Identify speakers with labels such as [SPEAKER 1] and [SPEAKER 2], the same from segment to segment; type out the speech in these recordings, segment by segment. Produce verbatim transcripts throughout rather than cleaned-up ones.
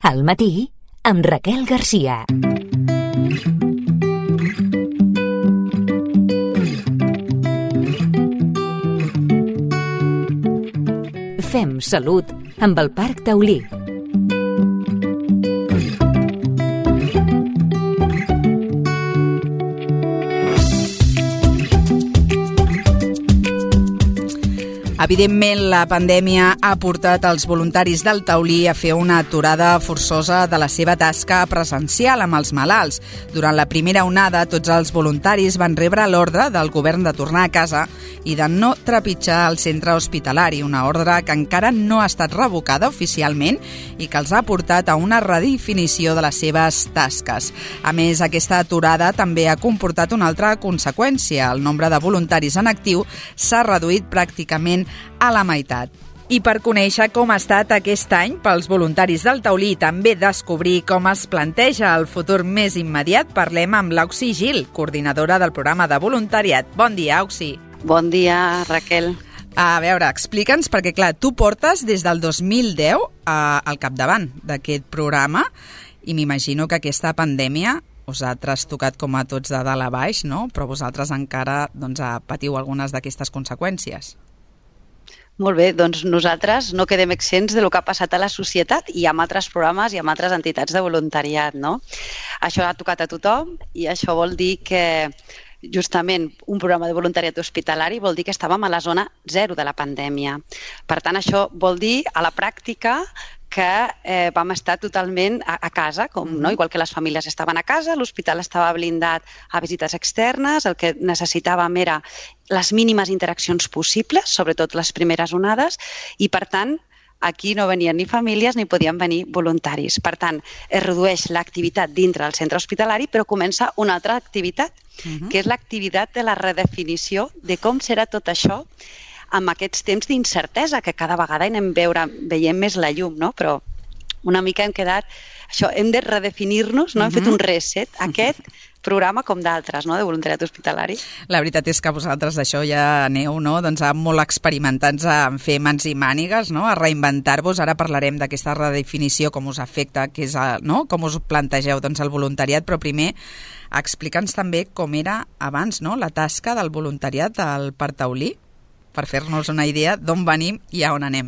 [SPEAKER 1] Al matí, amb Raquel Garcia. Fem salut amb el Parc Taulí.
[SPEAKER 2] Evidentment, la pandèmia ha portat els voluntaris del Taulí a fer una aturada forçosa de la seva tasca presencial amb els malalts. Durant la primera onada, tots els voluntaris van rebre l'ordre del govern de tornar a casa i de no trepitjar el centre hospitalari, una ordre que encara no ha estat revocada oficialment i que els ha portat a una redefinició de les seves tasques. A més, aquesta aturada també ha comportat una altra conseqüència. El nombre de voluntaris en actiu s'ha reduït pràcticament a la meitat. I per conèixer com ha estat aquest any pels voluntaris del Taulí i també descobrir com es planteja el futur més immediat, parlem amb l'Auxi Gil, coordinadora del programa de voluntariat. Bon dia, Auxi.
[SPEAKER 3] Bon dia, Raquel.
[SPEAKER 2] A veure, explica'ns, perquè clar, tu portes des del dos mil deu eh, al capdavant d'aquest programa i m'imagino que aquesta pandèmia us ha trastocat com a tots de dalt a baix, no? Però vosaltres encara doncs, patiu algunes d'aquestes conseqüències.
[SPEAKER 3] Molt bé, doncs nosaltres no quedem exempts del que ha passat a la societat i amb altres programes i amb altres entitats de voluntariat, no? Això ha tocat a tothom i això vol dir que justament un programa de voluntariat hospitalari vol dir que estàvem a la zona zero de la pandèmia. Per tant, això vol dir a la pràctica que eh, vam estar totalment a, a casa, com, no? Igual que les famílies estaven a casa, l'hospital estava blindat a visites externes, el que necessitàvem era les mínimes interaccions possibles, sobretot les primeres onades, i per tant, aquí no venien ni famílies ni podien venir voluntaris. Per tant, es redueix l'activitat dintre del centre hospitalari, però comença una altra activitat, uh-huh. que és l'activitat de la redefinició de com serà tot això amb aquests temps d'incertesa que cada vegada anem veure, veiem més la llum, no? Però una mica hem quedat... Això, hem de redefinir-nos, no? Uh-huh. Hem fet un reset, aquest programa com d'altres, no? De voluntariat hospitalari.
[SPEAKER 2] La veritat és que vosaltres d'això ja aneu, no? Doncs molt experimentats en fer mans i mànigues, no? A reinventar-vos. Ara parlarem d'aquesta redefinició, com us afecta, que és, no? Com us plantegeu doncs, el voluntariat, però primer explica'ns també com era abans, no? La tasca del voluntariat al Parc Taulí, per fer-nos una idea d'on venim i a on anem.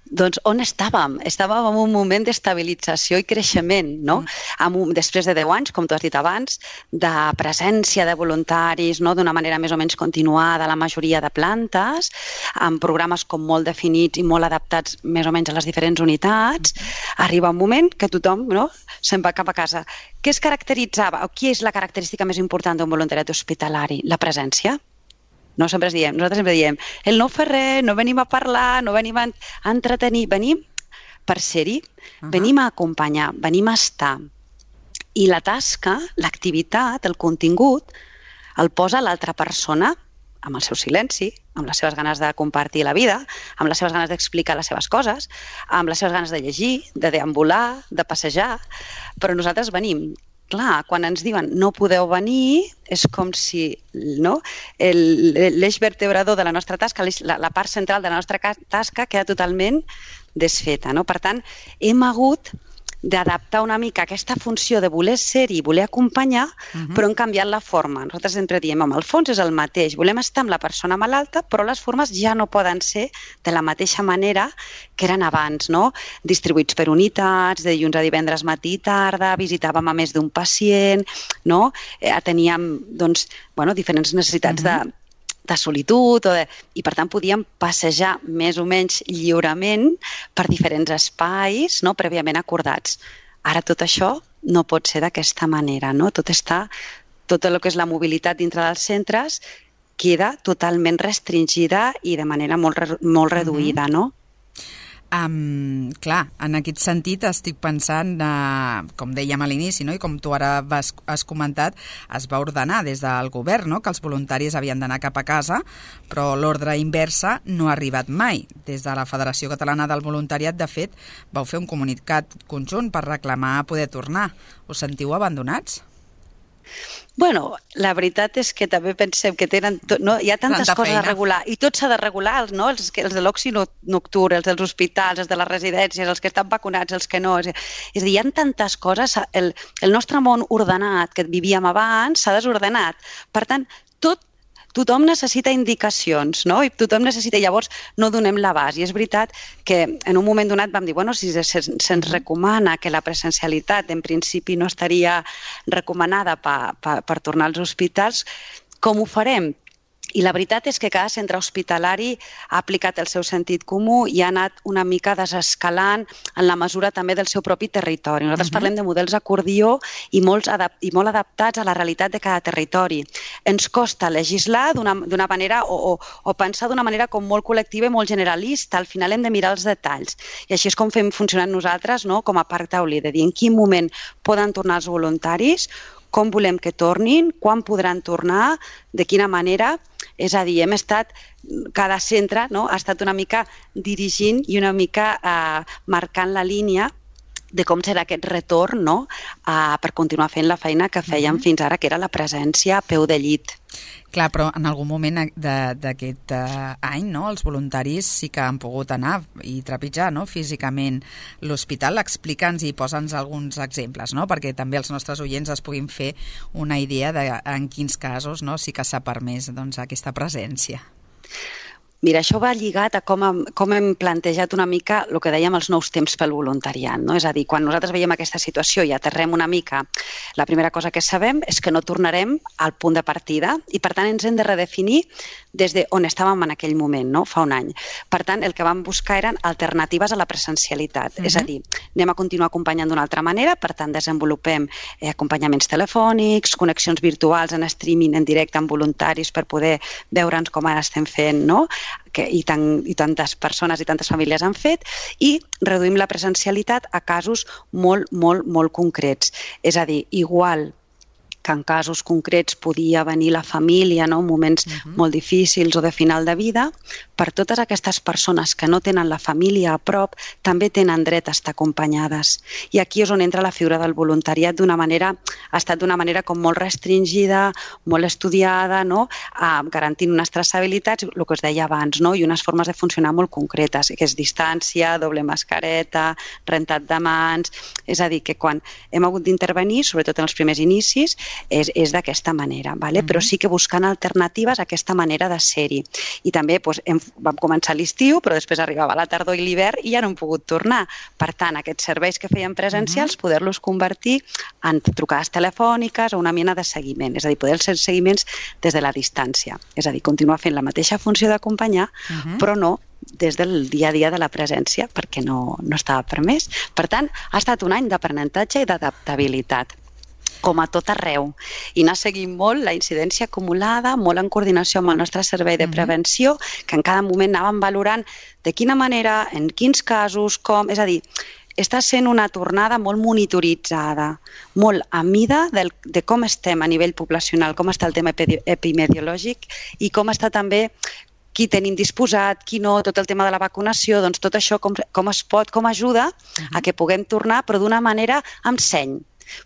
[SPEAKER 3] Doncs on estàvem? Estàvem en un moment d'estabilització i creixement, no? Mm. Un, després de deu anys, com tu has dit abans, de presència de voluntaris, no? D'una manera més o menys continuada a la majoria de plantes, amb programes com molt definits i molt adaptats més o menys a les diferents unitats, mm. arriba un moment que tothom, no? Se'n va cap a casa. Què es caracteritzava? O qui és la característica més important d'un voluntariat hospitalari? La presència. No, sempre diem, nosaltres sempre diem, el no fer res, no venim a parlar, no venim a entretenir, venim per ser-hi, uh-huh. venim a acompanyar, venim a estar. I la tasca, l'activitat, el contingut, el posa l'altra persona amb el seu silenci, amb les seves ganes de compartir la vida, amb les seves ganes d'explicar les seves coses, amb les seves ganes de llegir, de deambular, de passejar, però nosaltres venim. Clar, quan ens diuen no podeu venir, és com si no, l'eix vertebrador de la nostra tasca, la, la part central de la nostra tasca queda totalment desfeta. No? Per tant, hem hagut d'adaptar una mica aquesta funció de voler ser-hi, voler acompanyar, uh-huh. però hem canviat la forma. Nosaltres sempre diem, home, el fons és el mateix, volem estar amb la persona malalta, però les formes ja no poden ser de la mateixa manera que eren abans, no? Distribuïts per unitats, de dilluns a divendres matí i tarda, visitàvem a més d'un pacient, no? Eh, teníem, doncs, bueno, diferents necessitats uh-huh. de de solitud, o de... i per tant podíem passejar més o menys lliurement per diferents espais, no? Prèviament acordats. Ara tot això no pot ser d'aquesta manera, no? Tot està, tot el que és la mobilitat dintre dels centres queda totalment restringida i de manera molt, molt reduïda, no?
[SPEAKER 2] Um, clar, en aquest sentit estic pensant, uh, com dèiem a l'inici, no? I com tu ara vas, has comentat, es va ordenar des del govern, no? Que els voluntaris havien d'anar cap a casa, però l'ordre inversa no ha arribat mai. Des de la Federació Catalana del Voluntariat, de fet, vau fer un comunicat conjunt per reclamar poder tornar. Us sentiu abandonats?
[SPEAKER 3] Bueno, la veritat és que també pensem que tenen tot, no? Hi ha tantes
[SPEAKER 2] Tanta
[SPEAKER 3] coses
[SPEAKER 2] feina.
[SPEAKER 3] a regular i tot s'ha de regular, no? els, que- els de l'oci nocturn, els dels hospitals, els de les residències, els que estan vacunats, els que no. És, és a dir, hi ha tantes coses. El, el nostre món ordenat que vivíem abans s'ha desordenat. Per tant, tot tothom necessita indicacions, no? I tothom necessita, llavors no donem l'abast. I és veritat que en un moment donat vam dir, bueno, si se'ns se recomana que la presencialitat en principi no estaria recomanada pa, pa, per tornar als hospitals, com ho farem? I la veritat és que cada centre hospitalari ha aplicat el seu sentit comú i ha anat una mica desescalant en la mesura també del seu propi territori. Nosaltres uh-huh. parlem de models acordió i, molts adap i molt adaptats a la realitat de cada territori. Ens costa legislar d'una manera o, o, o pensar d'una manera com molt col·lectiva i molt generalista. Al final hem de mirar els detalls. I així és com fem funcionar nosaltres, no? Com a Parc Taulí, de dir en quin moment poden tornar els voluntaris, com volem que tornin, quan podran tornar, de quina manera. És a dir, hem estat, cada centre no, ha estat una mica dirigint i una mica eh, marcant la línia de com serà aquest retorn no, eh, per continuar fent la feina que fèiem mm-hmm. fins ara, que era la presència a peu de llit.
[SPEAKER 2] Clar, però en algun moment d'aquest uh, any no, els voluntaris sí que han pogut anar i trepitjar no, físicament l'hospital. Explica'ns i posa'ns alguns exemples, no, perquè també els nostres oients es puguin fer una idea de en quins casos no, sí que s'ha permès doncs, aquesta presència.
[SPEAKER 3] Mira, això va lligat a com hem, com hem plantejat una mica el que dèiem els nous temps pel voluntariat. No? És a dir, quan nosaltres veiem aquesta situació i aterrem una mica, la primera cosa que sabem és que no tornarem al punt de partida i, per tant, ens hem de redefinir des d'on estàvem en aquell moment, no? Fa un any. Per tant, el que vam buscar eren alternatives a la presencialitat. Uh-huh. És a dir, anem a continuar acompanyant d'una altra manera, per tant, desenvolupem eh, acompanyaments telefònics, connexions virtuals en streaming en directe amb voluntaris per poder veure'ns com ara estem fent, no? Que, i, tan, i tantes persones i tantes famílies han fet, i reduïm la presencialitat a casos molt, molt, molt concrets. És a dir, igual que en casos concrets podia venir la família, no? En moments uh-huh. molt difícils o de final de vida, per totes aquestes persones que no tenen la família a prop, també tenen dret a estar acompanyades. I aquí és on entra la figura del voluntariat d'una manera, ha estat d'una manera com molt restringida, molt estudiada, no? Ah, garantint unes traçabilitats, el que us deia abans, no? I unes formes de funcionar molt concretes, que és distància, doble mascareta, rentat de mans. És a dir, que quan hem hagut d'intervenir, sobretot en els primers inicis, és, és d'aquesta manera, vale? Mm-hmm. Però sí que buscant alternatives a aquesta manera de ser-hi. I també doncs, hem, vam començar l'estiu, però després arribava la tardor i l'hivern i ja no hem pogut tornar. Per tant, aquests serveis que feien presencials, mm-hmm. poder-los convertir en trucades telefòniques o una mena de seguiment, és a dir, poder fer seguiments des de la distància. És a dir, continuar fent la mateixa funció d'acompanyar, mm-hmm. però no des del dia a dia de la presència, perquè no, no estava permès. Per tant, ha estat un any d'aprenentatge i d'adaptabilitat, com a tot arreu, i anar seguint molt la incidència acumulada, molt en coordinació amb el nostre servei de prevenció, que en cada moment anàvem valorant de quina manera, en quins casos, com... És a dir, està sent una tornada molt monitoritzada, molt a mida del, de com estem a nivell poblacional, com està el tema epidemiològic i com està també qui tenim disposat, qui no, tot el tema de la vacunació, doncs tot això com, com es pot, com ajuda a que puguem tornar, però d'una manera amb seny.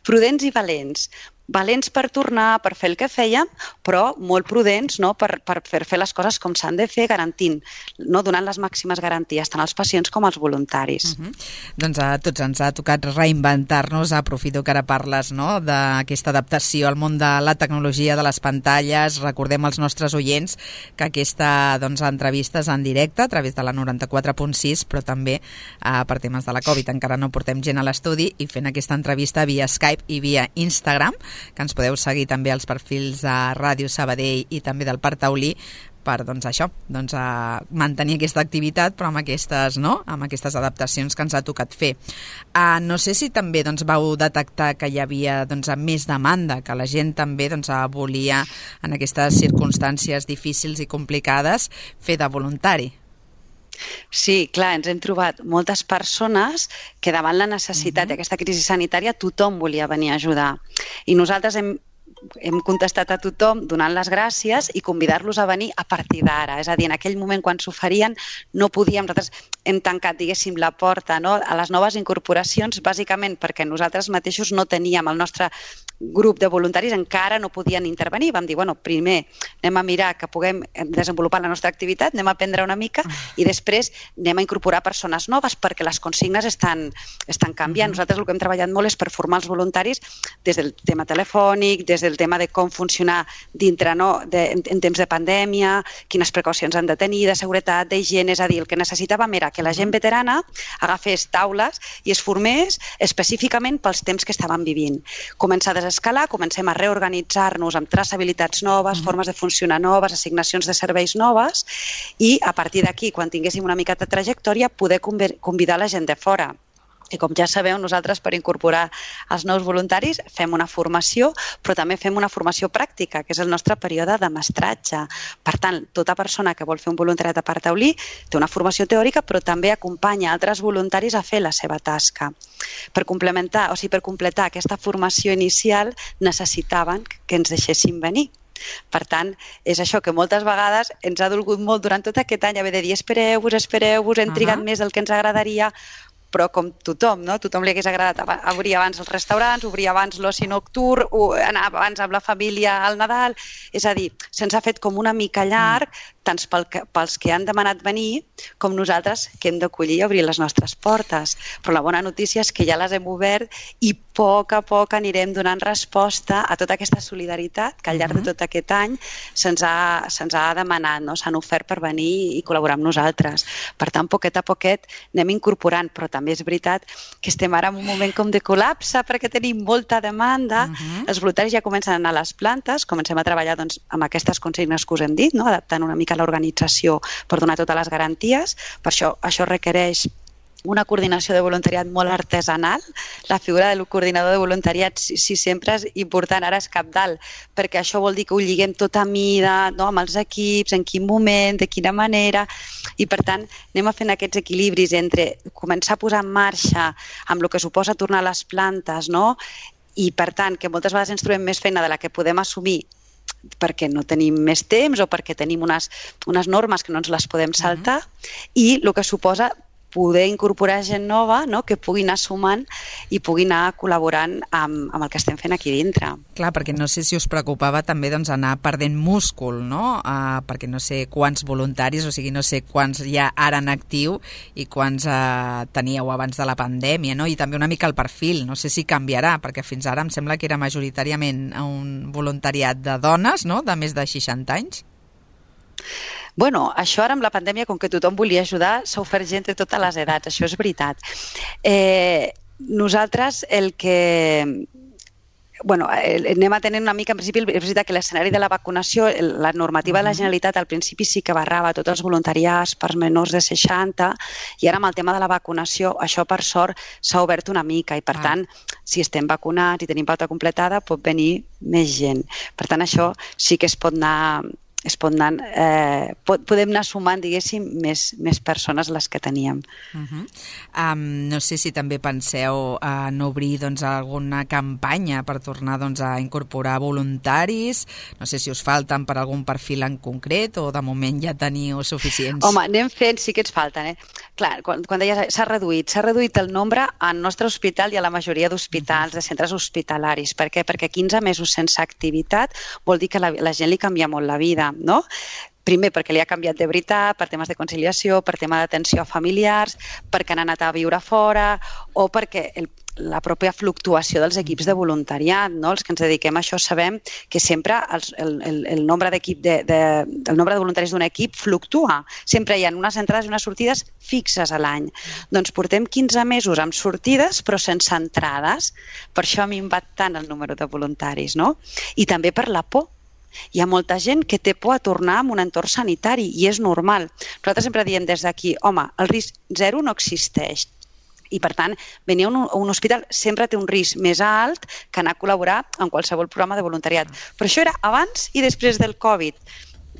[SPEAKER 3] Prudents i valents. Valents per tornar, per fer el que fèiem, però molt prudents no? per, per fer les coses com s'han de fer, garantint, no? Donant les màximes garanties tant als pacients com als voluntaris.
[SPEAKER 2] Uh-huh. Doncs a tots ens ha tocat reinventar-nos, aprofito que ara parles no? d'aquesta adaptació al món de la tecnologia, de les pantalles. Recordem als nostres oients que aquesta doncs, entrevista és en directe a través de la noranta-quatre punt sis, però també eh, per temes de la Covid encara no portem gent a l'estudi i fent aquesta entrevista via Skype i via Instagram, que ens podeu seguir també als perfils de Ràdio Sabadell i també del Parc Taulí per doncs, això, doncs, a mantenir aquesta activitat però amb aquestes, no? amb aquestes adaptacions que ens ha tocat fer. Uh, no sé si també doncs, vau detectar que hi havia doncs, més demanda, que la gent també doncs, volia en aquestes circumstàncies difícils i complicades fer de voluntari.
[SPEAKER 3] Sí, clar, ens hem trobat moltes persones que davant la necessitat uh-huh. d'aquesta crisi sanitària tothom volia venir a ajudar. I nosaltres hem, hem contestat a tothom donant les gràcies i convidar-los a venir a partir d'ara. És a dir, en aquell moment quan s'oferien no podíem, nosaltres hem tancat, diguéssim, la porta no? a les noves incorporacions, bàsicament perquè nosaltres mateixos no teníem el nostre grup de voluntaris encara no podien intervenir. Vam dir, bueno, primer anem a mirar que puguem desenvolupar la nostra activitat, anem a aprendre una mica i després anem a incorporar persones noves perquè les consignes estan, estan canviant. Nosaltres el que hem treballat molt és per formar els voluntaris des del tema telefònic, des del tema de com funcionar dintre, no, de, en, en temps de pandèmia, quines precaucions han de tenir, de seguretat, d'higiene, és a dir, el que necessitàvem era que la gent veterana agafés taules i es formés específicament pels temps que estaven vivint. Començar a desescalar, comencem a reorganitzar-nos amb traçabilitats noves, formes de funcionar noves, assignacions de serveis noves i a partir d'aquí, quan tinguéssim una mica de trajectòria, poder convidar la gent de fora. I com ja sabeu, nosaltres per incorporar els nous voluntaris fem una formació, però també fem una formació pràctica, que és el nostre període de mestratge. Per tant, tota persona que vol fer un voluntariat a Parc Taulí té una formació teòrica, però també acompanya altres voluntaris a fer la seva tasca. Per complementar, o sigui, per completar aquesta formació inicial necessitaven que ens deixessin venir. Per tant, és això que moltes vegades ens ha dolgut molt durant tot aquest any haver de dir espereu-vos, espereu-vos, hem trigat més del que ens agradaria, però com tothom, no? Tothom li hagués agradat obrir abans els restaurants, obrir abans l'oci nocturn, anar abans amb la família al Nadal. És a dir, se'ns ha fet com una mica llarg, tant pels que han demanat venir com nosaltres que hem d'acollir i obrir les nostres portes. Però la bona notícia és que ja les hem obert i a poc a poc anirem donant resposta a tota aquesta solidaritat que al llarg de tot aquest any se'ns ha, se'ns ha demanat, no? S'han ofert per venir i col·laborar amb nosaltres. Per tant, poquet a poquet anem incorporant, però també és veritat que estem ara en un moment com de col·lapse perquè tenim molta demanda. Uh-huh. Els voluntaris ja comencen a anar a les plantes, comencem a treballar doncs, amb aquestes consignes que us hem dit, no? Adaptant una mica l'organització per donar totes les garanties. Per això això requereix una coordinació de voluntariat molt artesanal. La figura del coordinador de voluntariat sí, sí sempre és important, ara és cabdal, perquè això vol dir que ho lliguem tot a mida, no? Amb els equips, en quin moment, de quina manera, i per tant anem a fent aquests equilibris entre començar a posar en marxa amb el que suposa tornar a les plantes, no? I per tant que moltes vegades ens trobem més feina de la que podem assumir perquè no tenim més temps o perquè tenim unes, unes normes que no ens les podem saltar, uh-huh. i el que suposa poder incorporar gent nova, no? Que pugui anar sumant i pugui anar col·laborant amb, amb el que estem fent aquí dintre.
[SPEAKER 2] Clar, perquè no sé si us preocupava també doncs, anar perdent múscul, no? Uh, perquè no sé quants voluntaris, o sigui, no sé quants hi ha ara en actiu i quants uh, teníeu abans de la pandèmia, no? I també una mica el perfil, no sé si canviarà, perquè fins ara em sembla que era majoritàriament un voluntariat de dones, no? De més de seixanta anys.
[SPEAKER 3] Bueno, això ara amb la pandèmia, com que tothom volia ajudar, s'ha ofert gent de totes les edats, això és veritat. Eh, nosaltres el que... Bueno, anem a tenir una mica, en principi, és veritat que l'escenari de la vacunació, la normativa de la Generalitat al principi sí que barrava tots els voluntariats per menors de seixanta i ara amb el tema de la vacunació això per sort s'ha obert una mica i per ah. tant, si estem vacunats i tenim pauta completada pot venir més gent. Per tant, això sí que es pot anar... es pot anar, eh, pot, podem anar sumant, diguéssim, més, més persones les que teníem.
[SPEAKER 2] Uh-huh. um, no sé si també penseu en obrir doncs, alguna campanya per tornar doncs, a incorporar voluntaris, no sé si us falten per algun perfil en concret o de moment ja teniu suficients.
[SPEAKER 3] Home, anem fent, sí que ens falten. Eh? Clar, quan, quan deia s'ha reduït, s'ha reduït el nombre al nostre hospital i a la majoria d'hospitals, uh-huh. de centres hospitalaris. Per què? Perquè quinze mesos sense activitat vol dir que la, la gent li canvia molt la vida. No? Primer perquè li ha canviat de veritat, per temes de conciliació, per tema d'atenció a familiars, perquè han anat a viure fora o perquè el, la pròpia fluctuació dels equips de voluntariat, no? Els que ens dediquem a això sabem que sempre els, el, el, el, nombre d'equip de, de, el nombre de voluntaris d'un equip fluctua. Sempre hi ha unes entrades i unes sortides fixes a l'any. Doncs portem quinze mesos amb sortides però sense entrades. Per això ha minvat tant el número de voluntaris, no? I també per la por. Hi ha molta gent que té por a tornar a un entorn sanitari i és normal. Nosaltres sempre diem des d'aquí, home, el risc zero no existeix. I, per tant, venir a un, a un hospital sempre té un risc més alt que anar a col·laborar en qualsevol programa de voluntariat. Però això era abans i després del Covid.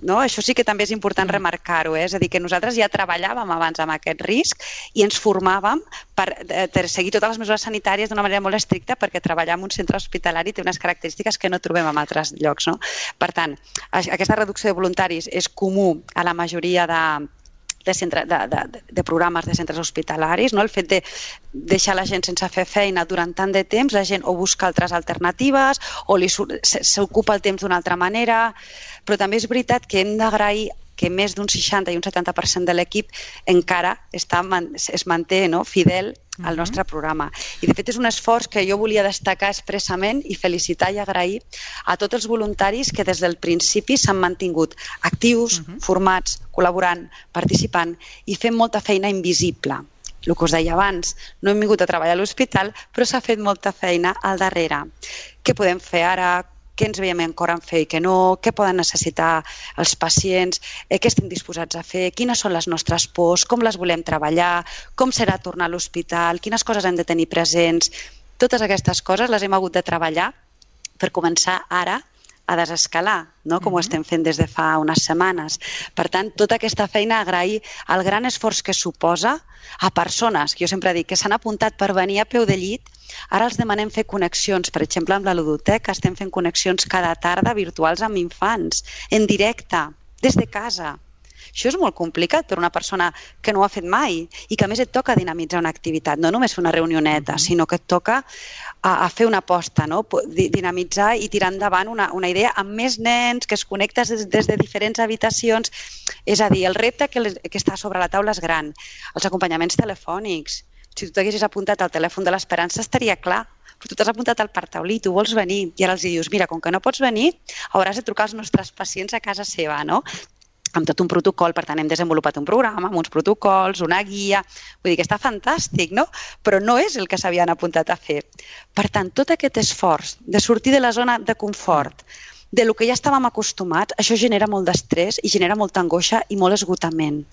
[SPEAKER 3] No? Això sí que també és important remarcar-ho, eh? És a dir, que nosaltres ja treballàvem abans amb aquest risc i ens formàvem per, per seguir totes les mesures sanitàries d'una manera molt estricta perquè treballar en un centre hospitalari té unes característiques que no trobem en altres llocs. No? Per tant, aquesta reducció de voluntaris és comú a la majoria de de, centre, de, de, de programes de centres hospitalaris, no? El fet de deixar la gent sense fer feina durant tant de temps, la gent o busca altres alternatives o li s'ocupa el temps d'una altra manera, però també és veritat que hem d'agrair que més d'un seixanta i un setanta per cent de l'equip encara està, es manté, no?, fidel al nostre programa. I de fet és un esforç que jo volia destacar expressament i felicitar i agrair a tots els voluntaris que des del principi s'han mantingut actius, uh-huh. formats, col·laborant, participant i fent molta feina invisible. El que us deia abans, no hem vingut a treballar a l'hospital, però s'ha fet molta feina al darrere. Què podem fer ara? Què ens veiem encara en fer i què no, què poden necessitar els pacients, eh, què estem disposats a fer, quines són les nostres pors, com les volem treballar, com serà tornar a l'hospital, quines coses hem de tenir presents. Totes aquestes coses les hem hagut de treballar per començar ara a desescalar, no? Com ho estem fent des de fa unes setmanes. Per tant, tota aquesta feina, agrair el gran esforç que suposa a persones, que jo sempre dic, que s'han apuntat per venir a peu de llit. Ara els demanem fer connexions, per exemple, amb la ludoteca, estem fent connexions cada tarda virtuals amb infants, en directe, des de casa. Això és molt complicat per una persona que no ho ha fet mai i que a més et toca dinamitzar una activitat, no només fer una reunioneta, sinó que et toca a, a fer una aposta, no? Dinamitzar i tirar endavant una, una idea amb més nens, que es connectes des, des de diferents habitacions. És a dir, el repte que, les, que està sobre la taula és gran. Els acompanyaments telefònics. Si tu t'haguessis apuntat al telèfon de l'Esperança estaria clar, però tu t'has apuntat al Parc Taulí, tu vols venir i ara els dius, mira, com que no pots venir, hauràs de trucar als nostres pacients a casa seva, no? Amb tot un protocol, per tant hem desenvolupat un programa amb uns protocols, una guia, vull dir que està fantàstic, no? Però no és el que s'havien apuntat a fer. Per tant, tot aquest esforç de sortir de la zona de confort, de lo que ja estàvem acostumats, això genera molt d'estrès i genera molta angoixa i molt esgotament.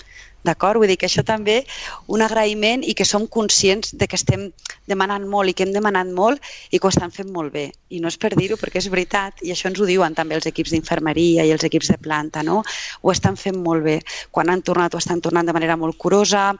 [SPEAKER 3] D'acord? Vull dir que això també un agraïment i que som conscients de que estem demanant molt i que hem demanat molt i que ho estan fent molt bé. I no és per dir-ho perquè és veritat i això ens ho diuen també els equips d'infermeria i els equips de planta, no? Ho estan fent molt bé. Quan han tornat ho estan tornant de manera molt curosa,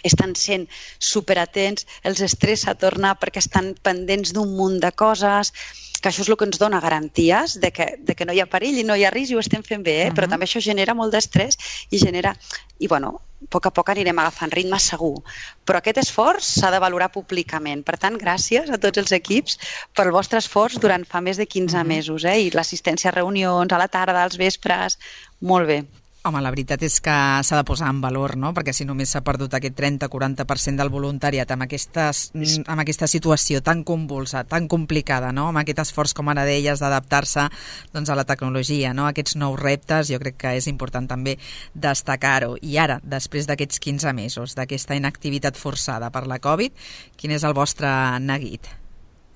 [SPEAKER 3] estan sent superatents, els estressa tornar perquè estan pendents d'un munt de coses, que això és el que ens dona garanties de que, de que no hi ha perill i no hi ha risc i ho estem fent bé, eh? Uh-huh. Però també això genera molt d'estrès i genera... I bueno, a poc a poc anirem agafant ritme segur. Però aquest esforç s'ha de valorar públicament. Per tant, gràcies a tots els equips pel vostre esforç durant fa més de quinze uh-huh. mesos, eh? I l'assistència a reunions, a la tarda, als vespres, molt bé.
[SPEAKER 2] Home, la veritat és que s'ha de posar en valor, no? Perquè si només s'ha perdut aquest trenta a quaranta per cent del voluntariat amb, aquestes, amb aquesta situació tan convulsa, tan complicada, no? Amb aquest esforç, com ara deies, d'adaptar-se doncs, a la tecnologia, no? Aquests nous reptes, jo crec que és important també destacar-ho. I ara, després d'aquests quinze mesos, d'aquesta inactivitat forçada per la Covid, quin és el vostre neguit?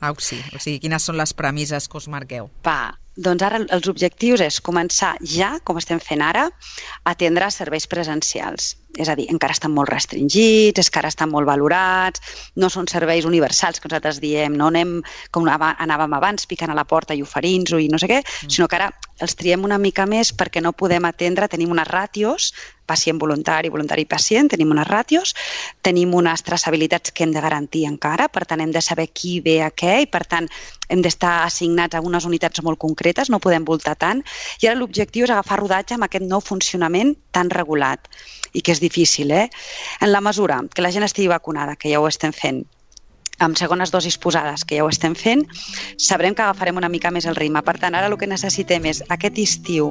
[SPEAKER 2] Auxi, o sigui, quines són les premisses que us marqueu?
[SPEAKER 3] Va, doncs ara els objectius és començar ja, com estem fent ara, a atendre serveis presencials. És a dir, encara estan molt restringits, encara estan molt valorats, no són serveis universals que nosaltres diem, no anem com anàvem abans, picant a la porta i oferint-ho i no sé què, mm. sinó que ara els triem una mica més perquè no podem atendre, tenim unes ràtios, pacient voluntari, voluntari pacient, tenim unes ràtios, tenim unes traçabilitats que hem de garantir encara, per tant hem de saber qui ve a què i per tant hem d'estar assignats a unes unitats molt concretes, no podem voltar tant, i ara l'objectiu és agafar rodatge amb aquest nou funcionament tan regulat i que és difícil, eh? En la mesura que la gent estigui vacunada, que ja ho estem fent, amb segones dosis posades, que ja ho estem fent, sabrem que agafarem una mica més el ritme. Per tant, ara el que necessitem és aquest estiu,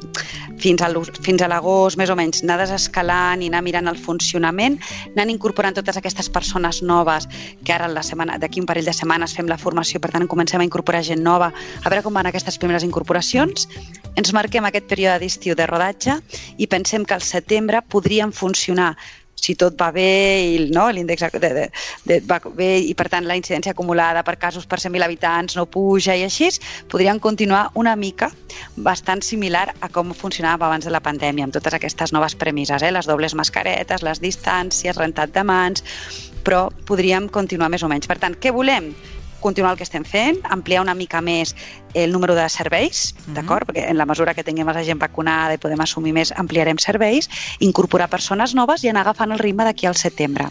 [SPEAKER 3] fins a fins a l'agost, més o menys, anar desescalant i anar mirant el funcionament, anant incorporant totes aquestes persones noves, que ara la setmana, d'aquí un parell de setmanes fem la formació, per tant comencem a incorporar gent nova, a veure com van aquestes primeres incorporacions, ens marquem aquest període d'estiu de rodatge i pensem que al setembre podrien funcionar si tot va bé i no, l'índex de, de, de, va bé i per tant la incidència acumulada per casos per cent mil habitants no puja i així, podrien continuar una mica bastant similar a com funcionava abans de la pandèmia, amb totes aquestes noves premisses, eh? Les dobles mascaretes, les distàncies, rentat de mans, però podríem continuar més o menys. Per tant, què volem? Continuar el que estem fent, ampliar una mica més el número de serveis, mm-hmm. d'acord? Perquè en la mesura que tinguem la gent vacunada i podem assumir més, ampliarem serveis, incorporar persones noves i anar agafant el ritme d'aquí al setembre.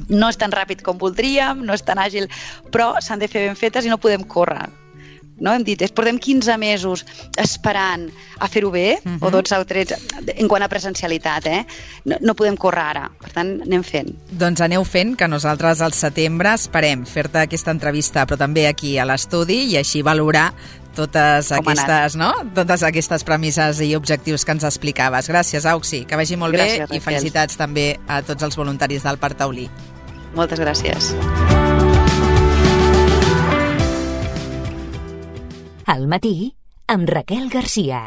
[SPEAKER 3] No és tan ràpid com voldríem, no és tan àgil, però s'han de fer ben fetes i no podem córrer. no? Hem dit, portem quinze mesos esperant a fer-ho bé, uh-huh. o dotze o tretze, en quant a presencialitat, eh? No, no podem córrer ara, per tant, anem fent.
[SPEAKER 2] Doncs aneu fent, que nosaltres al setembre esperem fer-te aquesta entrevista, però també aquí a l'estudi, i així valorar totes aquestes, no? totes aquestes premisses i objectius que ens explicaves. Gràcies, Auxi, que vagi molt
[SPEAKER 3] gràcies,
[SPEAKER 2] bé, i felicitats també a tots els voluntaris del Parc Taulí.
[SPEAKER 3] Moltes gràcies.
[SPEAKER 1] Al matí, amb Raquel Garcia.